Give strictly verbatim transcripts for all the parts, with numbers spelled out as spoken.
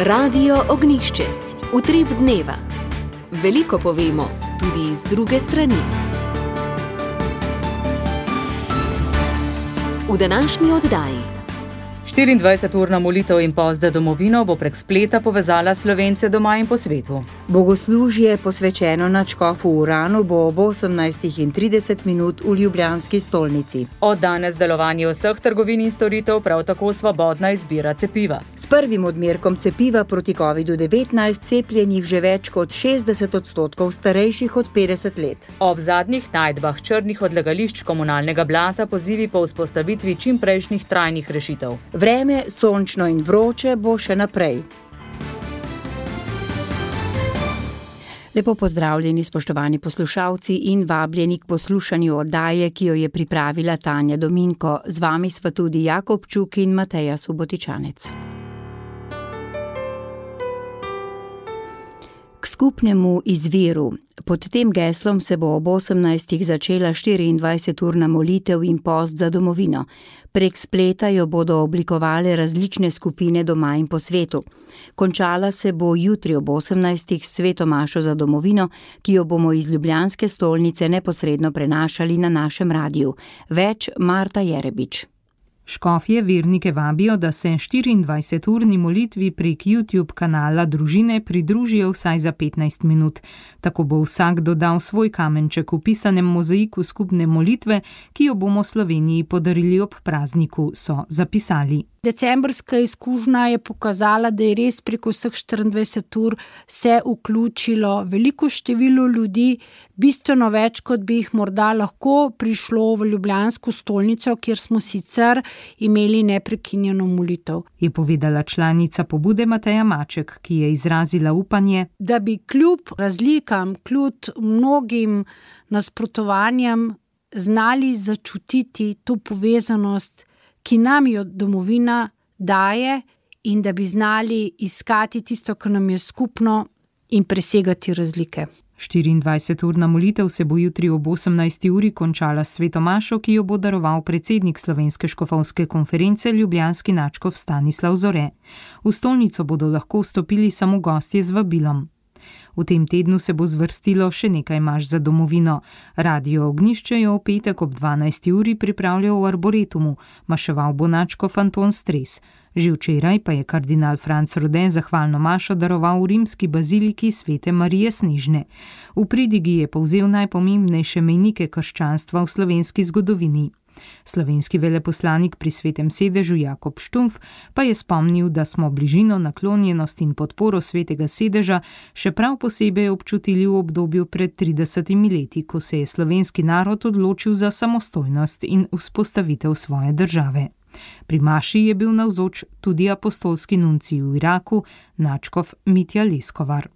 Radio Ognjišče, utrip dneva. Veliko povemo, tudi iz druge strani. V današnji oddaji. štiriindvajseturna molitev in post za domovino bo prek spleta povezala Slovence doma in po svetu. Bogoslužje, posvečeno nadškofu Uranu, bo ob osemnajstih in trideset minut v ljubljanski stolnici. Od danes delovanje vseh trgovin in storitev, prav tako svobodna izbira cepiva. S prvim odmerkom cepiva proti kovidu devetnajst cepljenih že več kot šestdeset odstotkov starejših od petdeset let. Ob zadnjih najdbah črnih odlagališč komunalnega blata pozivi po vzpostavitvi čimprejšnjih trajnih rešitev. Vreme, sončno in vroče, bo še naprej. Lepo pozdravljeni, spoštovani poslušalci, in vabljeni k poslušanju oddaje, ki jo je pripravila Tanja Dominko. Z vami sva tudi Jakob Čuk in Mateja Subotičanec. K skupnemu izviru. Pod tem geslom se bo ob osemnajstih začela štiriindvajseturna molitev in post za domovino. Prek spleta jo bodo oblikovale različne skupine doma in po svetu. Končala se bo jutri ob osemnajstih s sveto mašo za domovino, ki jo bomo iz ljubljanske stolnice neposredno prenašali na našem radiju. Več Marta Jerebič. Škofje vernike vabijo, da se štiriindvajseturni molitvi prek YouTube kanala Družine pridružijo vsaj za petnajst minut. Tako bo vsak dodal svoj kamenček v pisanem mozaiku skupne molitve, ki jo bomo Sloveniji podarili ob prazniku, so zapisali. Decembrska izkušnja je pokazala, da je res preko vseh štiriindvajset ur se vključilo veliko število ljudi, bistveno več, kot bi jih morda lahko prišlo v ljubljansko stolnico, kjer smo sicer imeli neprekinjeno molitev. Je povedala članica pobude Mateja Maček, ki je izrazila upanje, da bi kljub razlikam, kljub mnogim nasprotovanjem znali začutiti to povezanost, ki nam jo domovina daje, in da bi znali iskati tisto, kar nam je skupno, in presegati razlike. štiriindvajseturna molitev se bo jutri ob osemnajsti uri končala s sveto mašo, ki jo bo daroval predsednik Slovenske škofovske konference ljubljanski nadškof Stanislav Zore. V stolnico bodo lahko vstopili samo gostje z vabilom. V tem tednu se bo zvrstilo še nekaj maš za domovino. Radio Ognjišče je v petek ob dvanajsti uri pripravljal v Arboretumu, maševal bo nadškof Anton Stres. Že včeraj pa je kardinal Franc Rode zahvalno mašo daroval v rimski baziliki Svete Marije Snežne. V pridigi je povzel najpomembnejše mejnike krščanstva v slovenski zgodovini. Slovenski veleposlanik pri Svetem sedežu Jakob Štumf pa je spomnil, da smo bližino, naklonjenost in podporo Svetega sedeža še prav posebej občutili v obdobju pred tridesetimi leti, ko se je slovenski narod odločil za samostojnost in vzpostavitev svoje države. Pri maši je bil navzoč tudi apostolski nuncij v Iraku, nadškof Mitja Leskovar.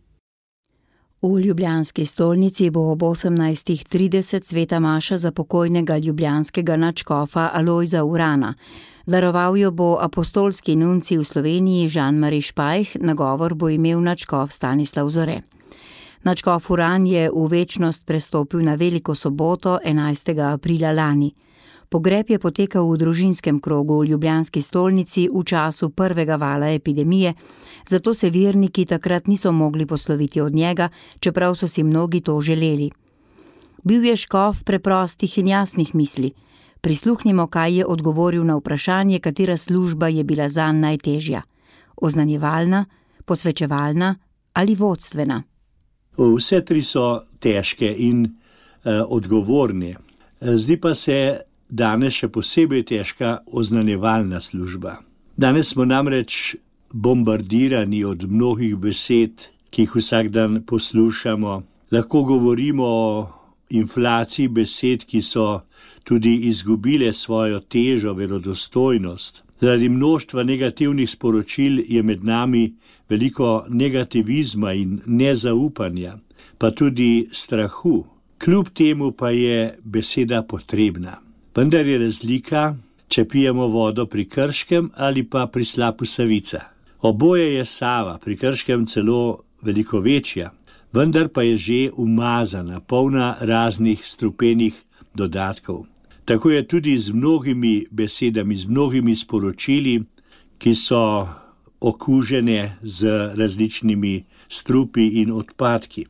V ljubljanski stolnici bo ob osemnajstih trideset sveta maša za pokojnega ljubljanskega nadškofa Alojza Urana. Daroval jo bo apostolski nuncij v Sloveniji Jean-Marie Špajh, nagovor bo imel nadškof Stanislav Zore. Nadškof Uran je v večnost prestopil na veliko soboto enajstega aprila lani. Pogreb je potekal v družinskem krogu v ljubljanski stolnici v času prvega vala epidemije, zato se verniki takrat niso mogli posloviti od njega, čeprav so si mnogi to želeli. Bil je škof preprostih in jasnih misli. Prisluhnimo, kaj je odgovoril na vprašanje, katera služba je bila zanj najtežja. Oznanjevalna, posvečevalna ali vodstvena? Vse tri so težke in uh, odgovorne. Zdi pa se danes še posebej težka oznanjevalna služba. Danes smo namreč bombardirani od mnogih besed, ki jih vsak dan poslušamo. Lahko govorimo o inflaciji besed, ki so tudi izgubile svojo težo, verodostojnost. Zaradi mnoštva negativnih sporočil je med nami veliko negativizma in nezaupanja, pa tudi strahu. Kljub temu pa je beseda potrebna. Vendar je razlika, če pijemo vodo pri Krškem ali pa pri slapu Savica. Oboje je Sava, pri Krškem celo veliko večja, vendar pa je že umazana, polna raznih strupenih dodatkov. Tako je tudi z mnogimi besedami, z mnogimi sporočili, ki so okužene z različnimi strupi in odpadki.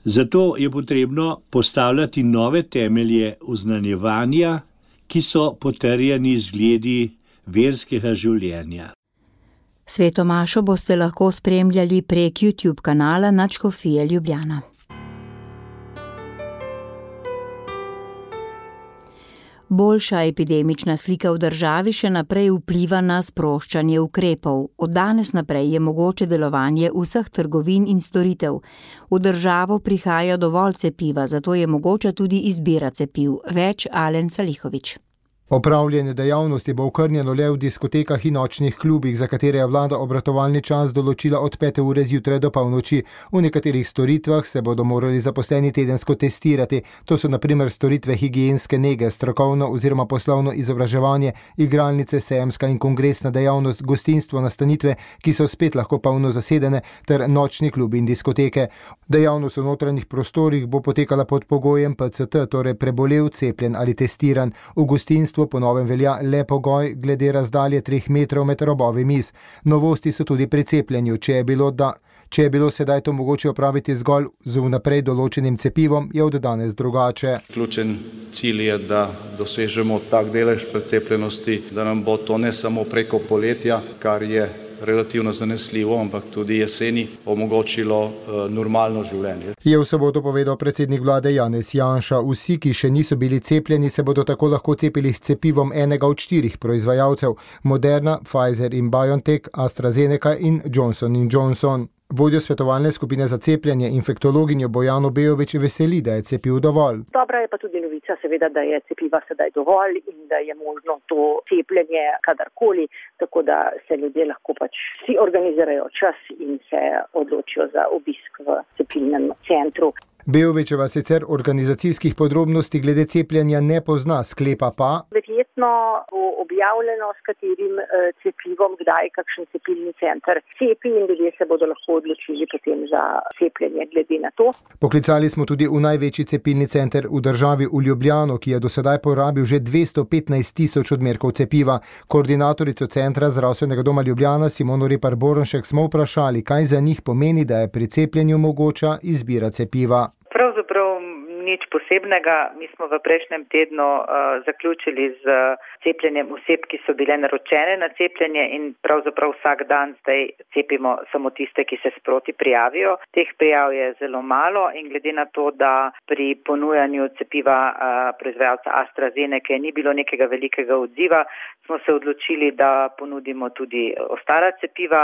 Zato je potrebno postavljati nove temelje oznanjevanja, ki so potrjeni zgledi verskega življenja. Sveto mašo boste lahko spremljali prek YouTube kanala Nadškofije Ljubljana. Boljša epidemična slika v državi še naprej vpliva na sproščanje ukrepov. Od danes naprej je mogoče delovanje vseh trgovin in storitev. V državo prihaja dovolj cepiva, zato je mogoča tudi izbira cepiv. Več Alen Salihovič. Opravljanje dejavnosti bo okrnjeno le v diskotekah in nočnih klubih, za katere je vlada obratovalni čas določila od pete ure zjutraj do polnoči. V nekaterih storitvah se bodo morali zaposleni tedensko testirati. To so na primer storitve higienske nege, strokovno oziroma poslovno izobraževanje, igralnice, sejemska in kongresna dejavnost, gostinstvo, nastanitve, ki so spet lahko polno zasedene, ter nočni klubi in diskoteke. Dejavnost v notranjih prostorih bo potekala pod pogojem P C T, torej prebolel, cepljen ali testiran. V gostinstvu po novem velja le pogoj glede razdalje treh metrov med robovi miz. Novosti so tudi pri cepljenju. Če je bilo, da, če je bilo sedaj to mogoče opraviti zgolj z vnaprej določenim cepivom, je od danes drugače. Ključen cilj je, da dosežemo tak delež precepljenosti, da nam bo to ne samo preko poletja, kar je relativno zanesljivo, ampak tudi jeseni omogočilo uh, normalno življenje. Je v soboto povedal predsednik vlade Janez Janša. Vsi, ki še niso bili cepljeni, se bodo tako lahko cepili s cepivom enega od štirih proizvajalcev: Moderna, Pfizer in BioNTech, AstraZeneca in Johnson in Johnson. Vodjo svetovalne skupine za cepljenje, infektologinjo Bojano Bejović, veseli, da je cepiv dovolj. Dobra je pa tudi novica, seveda, da je cepiva sedaj dovolj in da je možno to cepljenje kadarkoli, tako da se ljudje lahko pač vsi organizirajo čas in se odločijo za obisk v cepilnem centru. Bejovićeva sicer organizacijskih podrobnosti glede cepljenja ne pozna, sklepa pa: Verjetno bo objavljeno, s katerim cepivom, kdaj kakšen cepilni center cepi in ljudje se bodo lahko odločili potem za cepljenje glede na to. Poklicali smo tudi v največji cepilni center v državi, v Ljubljano, ki je do sedaj porabil že dvesto petnajst tisoč odmerkov cepiva. Koordinatorico centra zdravstvenega doma Ljubljana Simono Repar Boronšek smo vprašali, kaj za njih pomeni, da je pri cepljenju mogoča izbira cepiva. Pravzaprav nič posebnega. Mi smo v prejšnjem tednu uh, zaključili z cepljenjem oseb, ki so bile naročene na cepljenje in pravzaprav vsak dan zdaj cepimo samo tiste, ki se sproti prijavijo. Teh prijav je zelo malo in glede na to, da pri ponujanju cepiva uh, proizvajalca AstraZeneca ni bilo nekega velikega odziva, smo se odločili, da ponudimo tudi ostala cepiva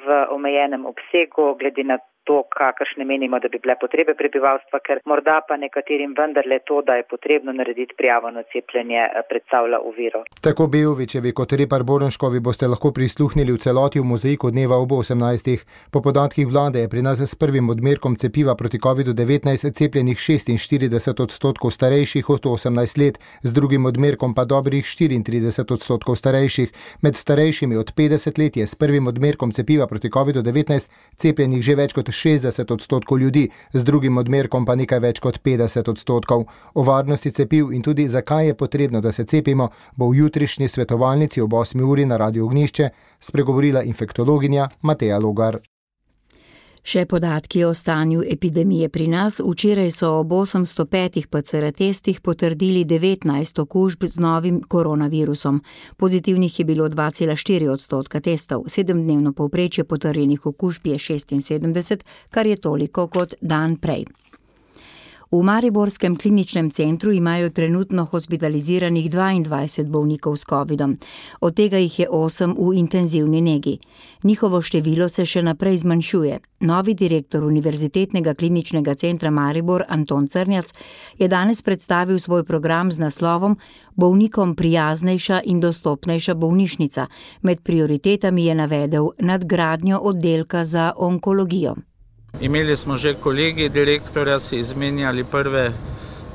v omejenem obsegu, glede na to, kakršne menimo, da bi bile potrebe prebivalstva, ker morda pa nekaterim vendarle to, da je potrebno narediti prijavo na cepljenje, predstavlja oviro. Tako Bejovićevi kot Repar Boronškovi boste lahko prisluhnili v celoti v mozaiku dneva ob osemnajstih. Po podatkih vlade je pri nas s prvim odmerkom cepiva proti kovidu devetnajst cepljenih šestinštirideset odstotkov starejših od osemnajst let, z drugim odmerkom pa dobrih štiriintrideset odstotkov starejših. Med starejšimi od petdeset let je s prvim odmerkom cepiva proti kovidu devetnajst cepljenih že več kot šestdeset odstotkov ljudi, z drugim odmerkom pa nekaj več kot petdeset odstotkov. O varnosti cepiv in tudi zakaj je potrebno, da se cepimo, bo v jutrišnji svetovalnici ob osmi uri na Radiu Ognjišče spregovorila infektologinja Mateja Logar. Še podatki o stanju epidemije pri nas. Včeraj so ob osemsto petih P C R testih potrdili devetnajst okužb z novim koronavirusom. Pozitivnih je bilo dva cela štiri odstotka testov. Sedemdnevno povprečje potrjenih okužb je šestinsedemdeset, kar je toliko kot dan prej. V mariborskem kliničnem centru imajo trenutno hospitaliziranih dvaindvajset bolnikov s covidom. Od tega jih je osem v intenzivni negi. Njihovo število se še naprej zmanjšuje. Novi direktor Univerzitetnega kliničnega centra Maribor Anton Crnjac je danes predstavil svoj program z naslovom Bolnikom prijaznejša in dostopnejša bolnišnica. Med prioritetami je navedel nadgradnjo oddelka za onkologijo. Imeli smo že kolegi direktorja, si izmenjali prve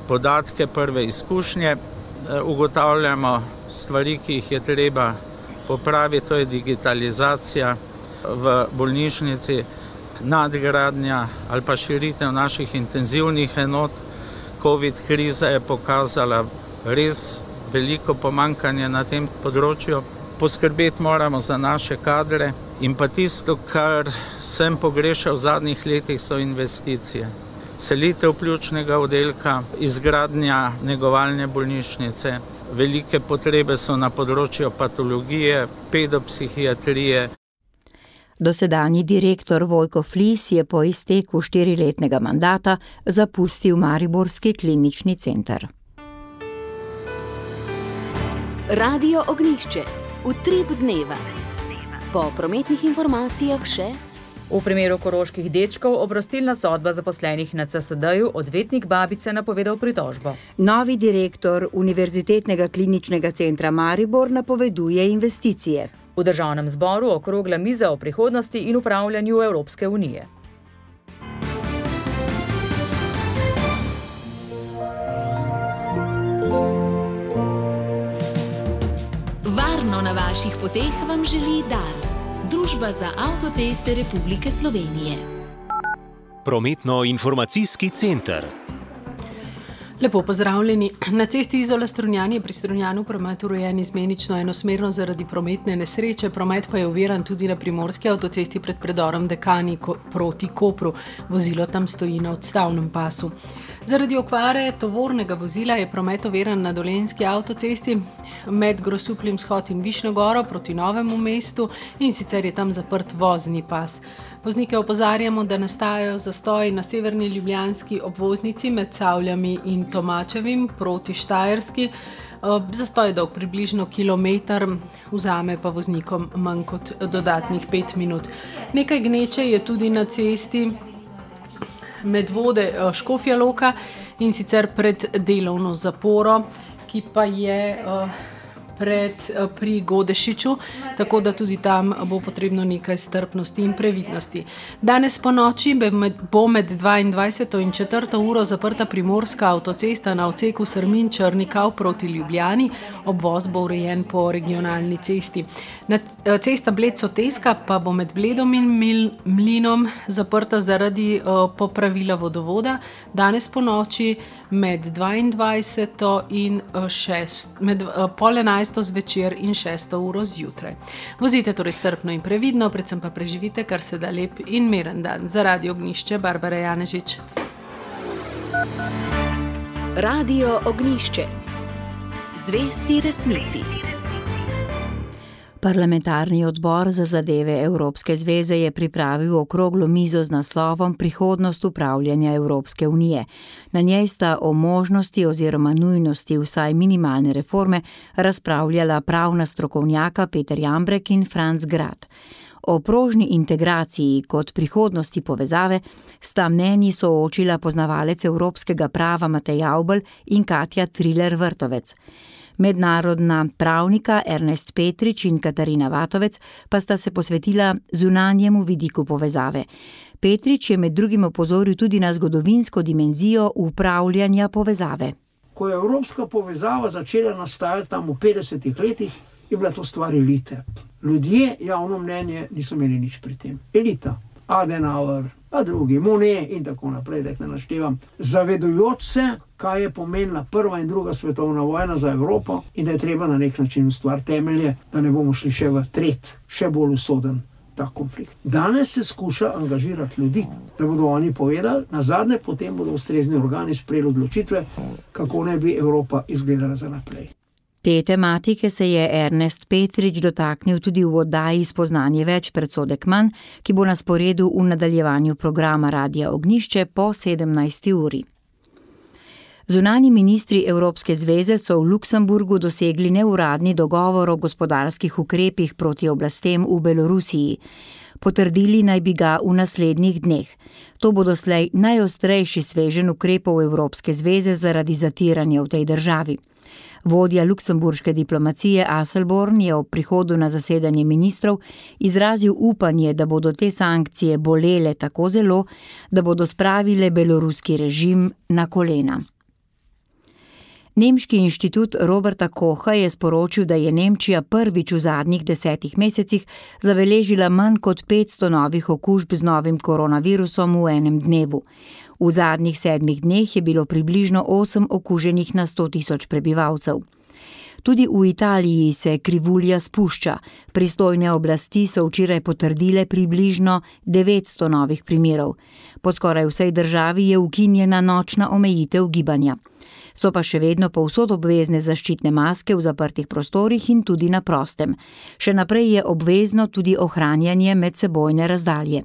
podatke, prve izkušnje. Ugotavljamo stvari, ki jih je treba popraviti, to je digitalizacija v bolnišnici, nadgradnja ali pa širitev naših intenzivnih enot. Covid kriza je pokazala res veliko pomanjkanje na tem področju. Poskrbeti moramo za naše kadre in pa tisto, kar sem pogrešal v zadnjih letih, so investicije. Selitev pljučnega oddelka, izgradnja negovalne bolnišnice, velike potrebe so na področju patologije, pedopsihiatrije. Dosedanji direktor Vojko Flis je po izteku štiriletnega mandata zapustil mariborski klinični center. Radio Ognjišče. Utrip dneva. Po prometnih informacijah še: v primeru koroških dečkov oprostilna sodba zaposlenih na C S D-ju, odvetnik babice napovedal pritožbo. Novi direktor Univerzitetnega kliničnega centra Maribor napoveduje investicije. V državnem zboru okrogla miza o prihodnosti in upravljanju Evropske unije. Varno na vaših poteh vam želi Dars, Družba za avtoceste Republike Slovenije. Prometno-informacijski center. Lepo pozdravljeni. Na cesti Izola-Strunjan je pri Strunjanu promet urejen izmenično enosmerno zaradi prometne nesreče, promet pa je oviran tudi na primorski avtocesti pred predorom Dekani proti Kopru. Vozilo tam stoji na odstavnem pasu. Zaradi okvare tovornega vozila je promet oviran na Dolenjski avtocesti med Grosupljem vzhod in Višnjo Goro proti Novemu mestu, in sicer je tam zaprt vozni pas. Voznike opozarjamo, da nastajajo zastoji na severni ljubljanski obvoznici med Cavljami in Tomačevim proti Štajerski. Zastoj je dolg približno kilometer, vzame pa voznikom manj kot dodatnih pet minut. Nekaj gneče je tudi na cesti Medvode Škofja Loka, in sicer pred delovno zaporo, ki pa je pred, pri Godešiču, tako da tudi tam bo potrebno nekaj strpnosti in previdnosti. Danes po noči bo med dvaindvajseto in četrto uro zaprta primorska avtocesta na odseku Srmin-Črnikav proti Ljubljani, obvoz bo urejen po regionalni cesti. Na cesta Bled-Soteska pa bo med Bledom in Mlinom zaprta zaradi popravila vodovoda, danes po noči med dvaindvajseto in šest, med pol enajsto zvečer in šesto uro zjutraj. Vozite torej strpno in previdno, predvsem pa preživite kar se da lep in miren dan. Za Radio Ognjišče, Barbara Janežič. Radio Ognjišče. Zvesti resnici. Parlamentarni odbor za zadeve Evropske zveze je pripravil okroglo mizo z naslovom Prihodnost upravljanja Evropske unije. Na njej sta o možnosti oziroma nujnosti vsaj minimalne reforme razpravljala pravna strokovnjaka Peter Jambrek in Franc Grad. O prožni integraciji kot prihodnosti povezave sta mnenji soočila poznavalec evropskega prava Matej Avbelj in Katja Triler-Vrtovec. Mednarodna pravnika Ernest Petrič in Katarina Vatovec pa sta se posvetila zunanjemu vidiku povezave. Petrič je med drugim opozoril tudi na zgodovinsko dimenzijo upravljanja povezave. Ko je evropska povezava začela nastajati tam v petdesetih letih, je bila to stvar elite. Ljudje, javno mnenje, niso imeli nič pri tem. Elita, Adenauer, a drugi, Monet in tako naprej, da jih ne naštevam, zavedujoč se, kaj je pomenila prva in druga svetovna vojna za Evropo in da je treba na nek način ustvariti temelje, da ne bomo šli še v tret, še bolj usoden ta konflikt. Danes se skuša angažirati ljudi, da bodo oni povedali, nazadnje potem bodo ustrezni organi sprejeli odločitve, kako naj bi Evropa izgledala za naprej. Te tematike se je Ernest Petrič dotaknil tudi v oddaji Spoznanje več predsodek manj, ki bo na sporedu v nadaljevanju programa Radia Ognjišče po sedemnajsti uri. Zunanji ministri Evropske zveze so v Luksemburgu dosegli neuradni dogovor o gospodarskih ukrepih proti oblastem v Belorusiji. Potrdili naj bi ga v naslednjih dneh. To bo doslej najostrejši sveženj ukrepov Evropske zveze zaradi zatiranja v tej državi. Vodja luksemburške diplomacije Asselborn je ob prihodu na zasedanje ministrov izrazil upanje, da bodo te sankcije bolele tako zelo, da bodo spravile beloruski režim na kolena. Nemški inštitut Roberta Kocha je sporočil, da je Nemčija prvič v zadnjih desetih mesecih zabeležila manj kot petsto novih okužb z novim koronavirusom v enem dnevu. V zadnjih sedmih dneh je bilo približno osem okuženih na sto tisoč prebivalcev. Tudi v Italiji se krivulja spušča. Pristojne oblasti so včeraj potrdile približno devetsto novih primerov. Po skoraj vsej državi je ukinjena nočna omejitev gibanja. So pa še vedno povsod obvezne zaščitne maske v zaprtih prostorih in tudi na prostem. Še naprej je obvezno tudi ohranjanje medsebojne razdalje.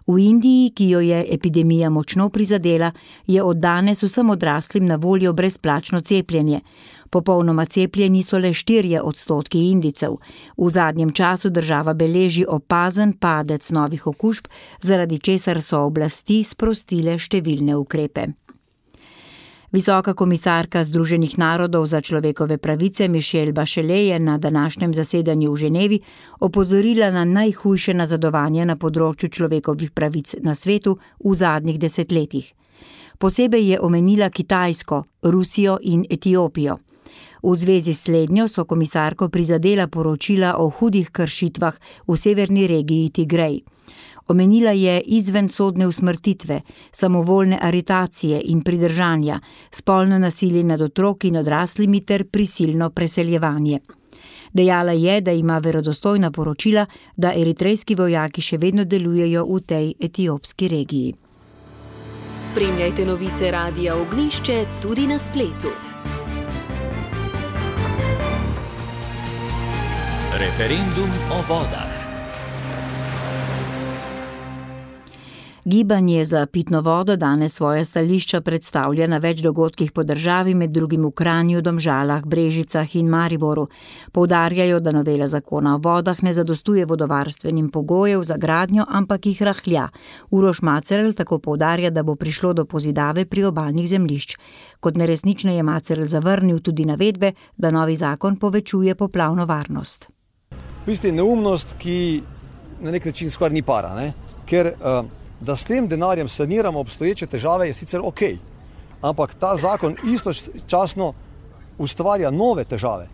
V Indiji, ki jo je epidemija močno prizadela, je od danes vsem odraslim na voljo brezplačno cepljenje. Popolnoma cepljeni so le štirje odstotki Indijcev. V zadnjem času država beleži opazen padec novih okužb, zaradi česar so oblasti sprostile številne ukrepe. Visoka komisarka Združenih narodov za človekove pravice Michelle Bachelet je na današnjem zasedanju v Ženevi opozorila na najhujše nazadovanje na področju človekovih pravic na svetu v zadnjih desetletjih. Posebej je omenila Kitajsko, Rusijo in Etiopijo. V zvezi s slednjo so komisarko prizadela poročila o hudih kršitvah v severni regiji Tigrej. Omenila je izvensodne usmrtitve, samovoljne aretacije in pridržanja, spolno nasilje nad otroki in odraslimi ter prisilno preseljevanje. Dejala je, da ima verodostojna poročila, da eritrejski vojaki še vedno delujejo v tej etiopski regiji. Spremljajte novice Radia Ognjišče tudi na spletu. Referendum o vodah. Gibanje za pitno vodo danes svoje stališča predstavlja na več dogodkih po državi, med drugim v Kranju, Domžalah, Brežicah in Mariboru. Poudarjajo, da novela zakona o vodah ne zadostuje vodovarstvenim pogojev za gradnjo, ampak jih rahlja. Uroš Macerl tako poudarja, da bo prišlo do pozidave priobalnih zemljišč. Kot neresnično je Macerl zavrnil tudi navedbe, da novi zakon povečuje poplavno varnost. V bistvu je neumnost, ki na nek način skoraj ni para, ne? Ker uh, da s tem denarjem saniramo obstoječe težave, je sicer ok, ampak ta zakon istočasno ustvarja nove težave,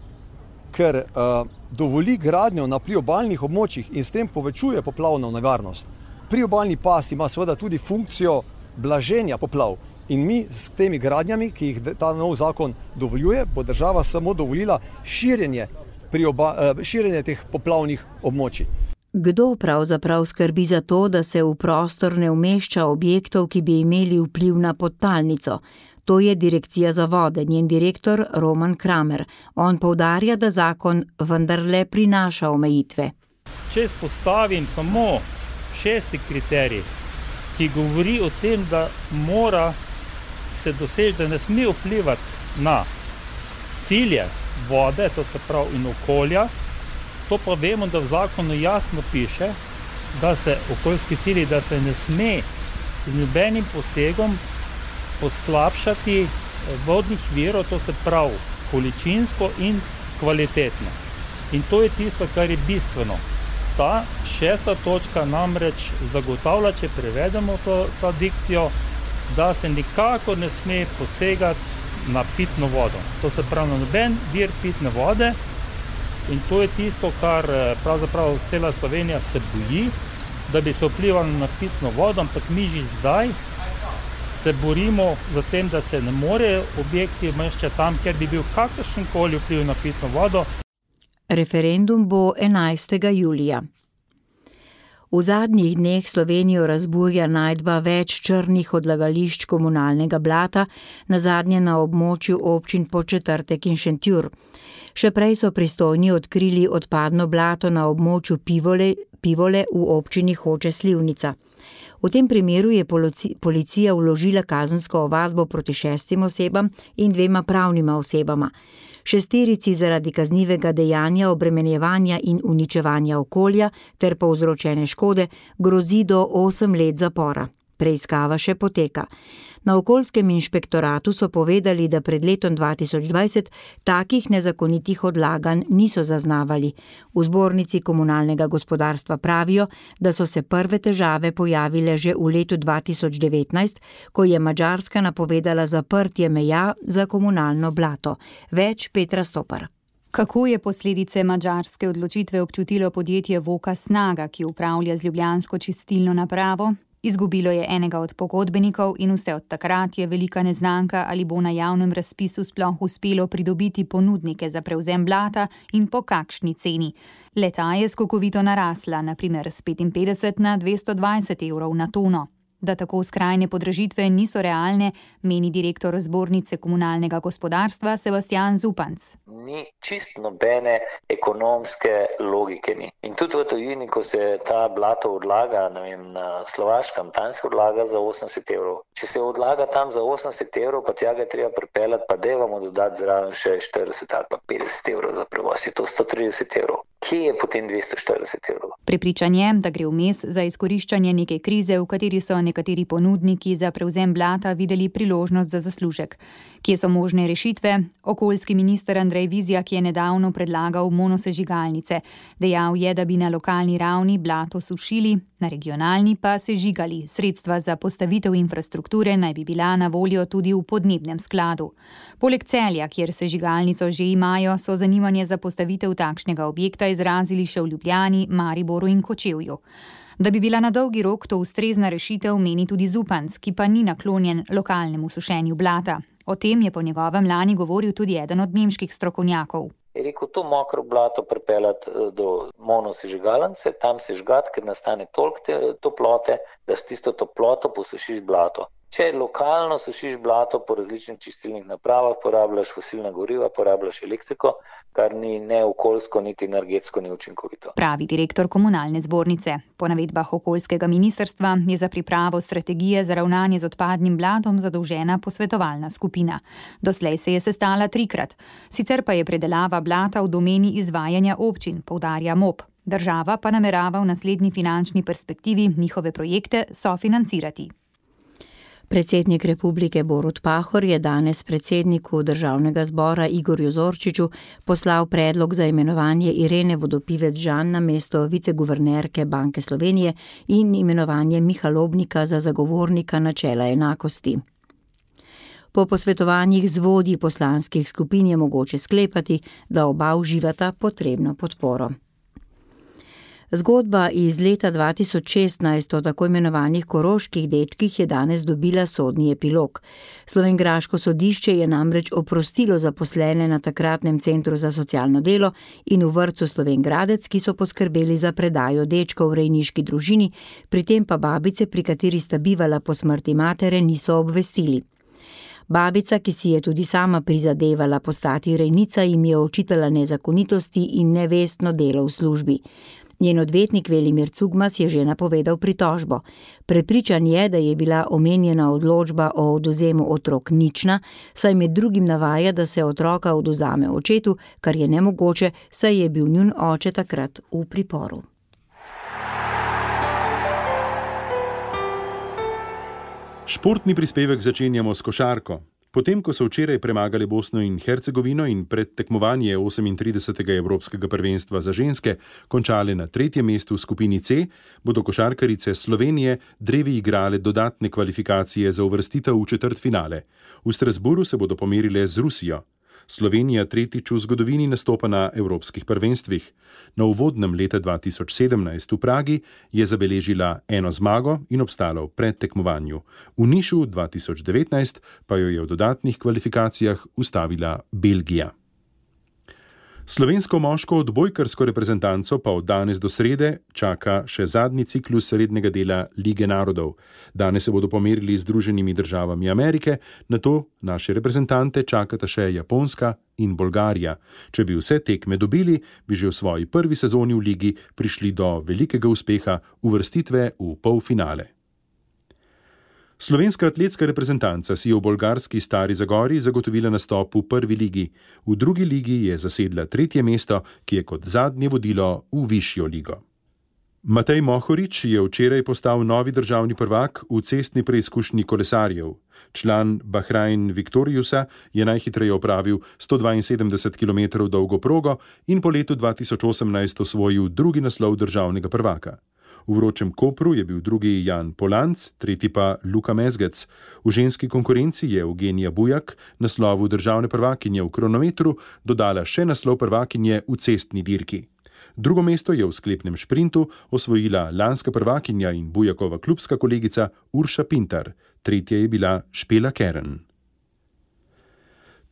ker uh, dovoli gradnjo na priobalnih območjih in s tem povečuje poplavno nevarnost. Priobalni pas ima seveda tudi funkcijo blaženja poplav in mi s temi gradnjami, ki jih ta nov zakon dovoljuje, bo država samo dovolila širjenje, prioba, uh, širjenje teh poplavnih območij. Kdo pravzaprav skrbi za to, da se v prostor ne umešča objektov, ki bi imeli vpliv na podtalnico? To je Direkcija za vode, njen direktor Roman Kramer. On poudarja, da zakon vendarle prinaša omejitve. Če izpostavim samo šesti kriterij, ki govori o tem, da mora se doseči, da ne sme vplivati na cilje vode, to se pravi in okolja, to pa vemo, da v zakonu jasno piše, da se okoljski cilji, da se ne sme z nobenim posegom poslabšati vodnih virov, to se pravi količinsko in kvalitetno. In to je tisto, kar je bistveno. Ta šesta točka namreč zagotavlja, če prevedemo to, to dikcijo, da se nikakor ne sme posegati na pitno vodo. To se pravi na noben vir pitne vode. In to je tisto, kar pravzaprav cela Slovenija se boji, da bi se vplivalo na pitno vodo, ampak mi že zdaj se borimo za tem, da se ne morejo objekti umeščati tam, kjer bi bil kakršenkoli vpliv na pitno vodo. Referendum bo enajstega julija. V zadnjih dneh Slovenijo razburja najdba več črnih odlagališč komunalnega blata, nazadnje na območju občin Podčetrtek in Šentjur. Še prej so pristojni odkrili odpadno blato na območju Pivole, Pivole v občini Hoče Slivnica. V tem primeru je policija vložila kazensko ovadbo proti šestim osebam in dvema pravnima osebama. Šesterici zaradi kaznivega dejanja obremenjevanja in uničevanja okolja ter povzročene škode grozi do osem let zapora. Preiskava še poteka. Na okoljskem inšpektoratu so povedali, da pred letom dva tisoč dvajset takih nezakonitih odlaganj niso zaznavali. V zbornici komunalnega gospodarstva pravijo, da so se prve težave pojavile že v letu dva tisoč devetnajst, ko je Madžarska napovedala zaprtje meja za komunalno blato. Več Petra Stopar. Kako je posledice madžarske odločitve občutilo podjetje Voka Snaga, ki upravlja z ljubljansko čistilno napravo? Izgubilo je enega od pogodbenikov in vse od takrat je velika neznanka, ali bo na javnem razpisu sploh uspelo pridobiti ponudnike za prevzem blata in po kakšni ceni. Le-ta je skokovito narasla, na primer s petinpetdeset na dvesto dvajset evrov na tono. Da tako skrajne podražitve niso realne, meni direktor Zbornice komunalnega gospodarstva Sebastian Zupanc. Ni čist nobene ekonomske logike ni. In tudi v tujini, ko se ta blato odlaga, ne vem, na Slovaškem, tam se odlaga za osemdeset evrov. Če se odlaga tam za osemdeset evrov, pa tja ga treba pripeljati, pa dajmo dodati zraven še štirideset ali pa petdeset evrov za prevoz, je to sto trideset evrov. Kje je potem dvesto štirideset evrov? Prepričan je, da gre vmes za izkoriščanje neke krize, v kateri so nekateri ponudniki za prevzem blata videli priložnost za zaslužek. Kje so možne rešitve? Okoljski minister Andrej Vizjak je nedavno predlagal monosežigalnice. Dejal je, da bi na lokalni ravni blato sušili, na regionalni pa sežigali. Sredstva za postavitev infrastrukture naj bi bila na voljo tudi v podnebnem skladu. Poleg Celja, kjer sežigalnico že imajo, so zanimanje za postavitev takšnega objekta izrazili še v Ljubljani, Mariboru in Kočevju. Da bi bila na dolgi rok to ustrezna rešitev, meni tudi Zupanc, ki pa ni naklonjen lokalnemu sušenju blata. O tem je po njegovem lani govoril tudi eden od nemških strokovnjakov. Je rekel, to mokro blato pripeljati do monosežigalnice, tam sežgati, ker nastane toliko toplote, da s tisto toploto posušiš blato. Če lokalno sušiš blato po različnih čistilnih napravah, porabljaš fosilna goriva, porabljaš elektriko, kar ni ne okoljsko, niti energetsko neučinkovito. Pravi direktor komunalne zbornice. Po navedbah okoljskega ministrstva je za pripravo strategije za ravnanje z odpadnim blatom zadolžena posvetovalna skupina. Doslej se je sestala trikrat. Sicer pa je predelava blata v domeni izvajanja občin, poudarja M O P. Država pa namerava v naslednji finančni perspektivi njihove projekte sofinancirati. Predsednik republike Borut Pahor je danes predsedniku državnega zbora Igorju Zorčiču poslal predlog za imenovanje Irene Vodopivec-Žan na mesto viceguvernerke Banke Slovenije in imenovanje Miha Lobnika za zagovornika načela enakosti. Po posvetovanjih z vodji poslanskih skupin je mogoče sklepati, da oba uživata potrebno podporo. Zgodba iz leta dva tisoč šestnajst o tako imenovanih koroških dečkih je danes dobila sodni epilog. Slovenjgraško sodišče je namreč oprostilo zaposlene na takratnem centru za socialno delo in v vrtcu Slovenj Gradec, ki so poskrbeli za predajo dečkov v rejniški družini, pri tem pa babice, pri kateri sta bivala po smrti matere, niso obvestili. Babica, ki si je tudi sama prizadevala postati rejnica, jim je očitala nezakonitosti in nevestno delo v službi. Njen odvetnik Velimir Cugmas je že napovedal pritožbo. Prepričan je, da je bila omenjena odločba o odvzemu otrok nična, saj med drugim navaja, da se otroka odvzame očetu, kar je nemogoče, saj je bil njun oče takrat v priporu. Športni prispevek začenjamo s košarko. Potem, ko so včeraj premagali Bosno in Hercegovino in predtekmovanje osemintridesetega Evropskega prvenstva za ženske končali na tretjem mestu v skupini C, bodo košarkarice Slovenije drevi igrale dodatne kvalifikacije za uvrstitev v četrtfinale. V Strasburu se bodo pomerile z Rusijo. Slovenija tretjič v zgodovini nastopa na evropskih prvenstvih. Na uvodnem leta dva tisoč sedemnajst v Pragi je zabeležila eno zmago in obstala v predtekmovanju. V Nišu dva tisoč devetnajst pa jo je v dodatnih kvalifikacijah ustavila Belgija. Slovensko moško odbojkarsko reprezentanco pa od danes do srede čaka še zadnji ciklus rednega dela Lige narodov. Danes se bodo pomerili z Združenimi državami Amerike, nato naše reprezentante čakata še Japonska in Bolgarija. Če bi vse tekme dobili, bi že v svoji prvi sezoni v ligi prišli do velikega uspeha uvrstitve v polfinale. Slovenska atletska reprezentanca si je v bolgarski Stari Zagori zagotovila nastop v prvi ligi. V drugi ligi je zasedla tretje mesto, ki je kot zadnje vodilo v višjo ligo. Matej Mohorič je včeraj postal novi državni prvak v cestni preizkušnji kolesarjev. Član Bahrain Victoriusa je najhitreje opravil sto dvainsedemdeset kilometrov dolgo progo in po letu dva tisoč osemnajst osvojil drugi naslov državnega prvaka. V vročem Kopru je bil drugi Jan Polanc, tretji pa Luka Mezgec. V ženski konkurenci je Eugenija Bujak naslovu državne prvakinje v kronometru dodala še naslov prvakinje v cestni dirki. Drugo mesto je v sklepnem šprintu osvojila lanska prvakinja in Bujakova klubska kolegica Urša Pintar, tretja je bila Špela Keren.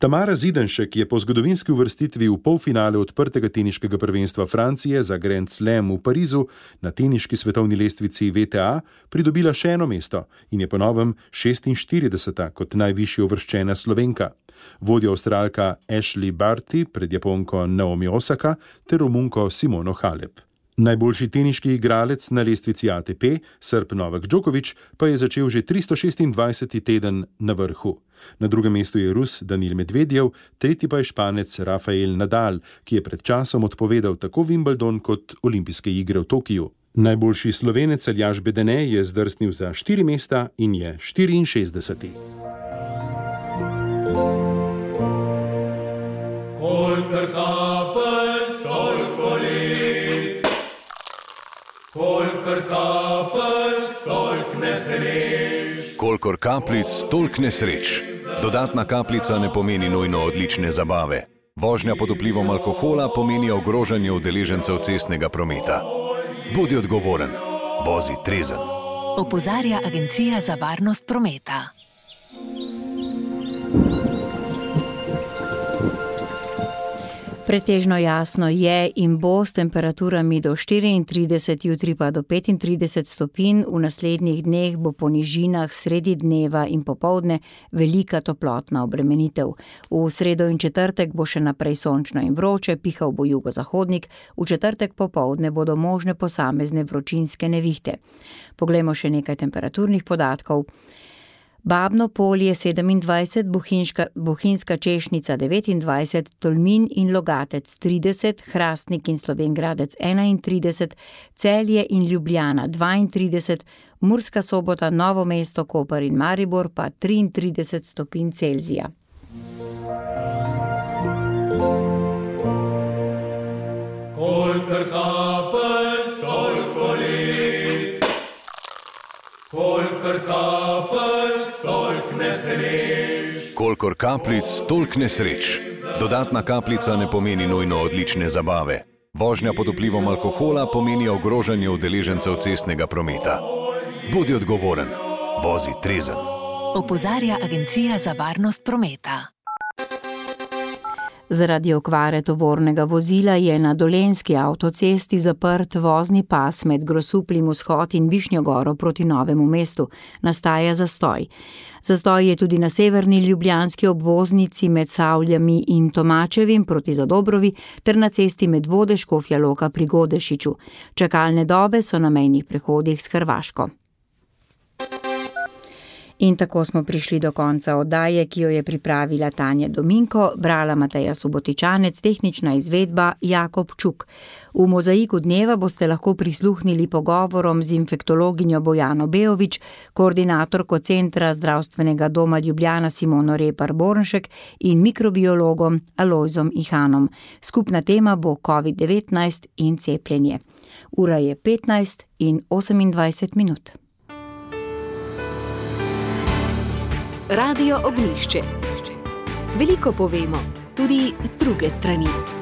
Tamara Zidanšek je po zgodovinski uvrstitvi v polfinale odprtega teniškega prvenstva Francije za Grand Slam v Parizu na teniški svetovni lestvici V T A pridobila še eno mesto in je po novem šestinštirideseta kot najvišje uvrščena Slovenka. Vodi Avstralka Ashley Barty pred Japonko Naomi Osaka ter Romunko Simono Halep. Najboljši teniški igralec na lestvici A T P, Srb Novak Djokovic, pa je začel že tristo šestindvajseti teden na vrhu. Na drugem mestu je Rus Danil Medvedjev, tretji pa je Španec Rafael Nadal, ki je pred časom odpovedal tako Wimbledon kot olimpijske igre v Tokiju. Najboljši Slovenec Aljaž Bedene je zdrsnil za štiri mesta in je štiriinšestdeseti. Kolikor kapelj, toliko let. Kolikor kapelj, toliko nesreč. Kolikor kapljic, toliko nesreč. Dodatna kapljica ne pomeni nujno odlične zabave. Vožnja pod vplivom alkohola pomeni ogrožanje udeležencev cestnega prometa. Bodi odgovoren, vozi trezen. Opozarja Agencija za varnost prometa. Pretežno jasno je in bo s temperaturami do štiriintrideset, jutri pa do petintrideset stopinj, v naslednjih dneh bo po nižinah sredi dneva in popoldne velika toplotna obremenitev. V sredo in četrtek bo še naprej sončno in vroče, pihal bo jugozahodnik, v četrtek popoldne bodo možne posamezne vročinske nevihte. Poglejmo še nekaj temperaturnih podatkov. Babno Polje sedemindvajset, Bohinjska, Bohinjska Češnica devetindvajset, Tolmin in Logatec trideset, Hrastnik in Slovenj Gradec enaintrideset, Celje in Ljubljana dvaintrideset, Murska Sobota, Novo mesto, Koper in Maribor pa triintrideset stopinj Celzija. Kolikor kapelj, toliko let. Kolikor kapelj, toliko nesreč. Kolikor kapljic, toliko nesreč. Dodatna kapljica ne pomeni nujno odlične zabave. Vožnja pod vplivom alkohola pomeni ogrožanje udeležencev cestnega prometa. Bodi odgovoren, vozi trezen. Opozarja Agencija za varnost prometa. Zaradi okvare tovornega vozila je na dolenjski avtocesti zaprt vozni pas med Grosupljem vzhod in Višnjo Goro proti Novemu mestu. Nastaja zastoj. Zastoj je tudi na severni ljubljanski obvoznici med Savljami in Tomačevim proti Zadobrovi ter na cesti Medvode Škofja Loka pri Godešiču. Čakalne dobe so na mejnih prehodih s Hrvaško. In tako smo prišli do konca oddaje, ki jo je pripravila Tanja Dominko, brala Mateja Subotičanec, tehnična izvedba Jakob Čuk. V mozaiku dneva boste lahko prisluhnili pogovorom z infektologinjo Bojano Beovič, koordinatorko Centra zdravstvenega doma Ljubljana Simono Repar Bornšek in mikrobiologom Alojzom Ihanom. Skupna tema bo covid devetnajst in cepljenje. Ura je petnajst in osemindvajset minut. Radio Ognjišče. Veliko povemo, tudi z druge strani.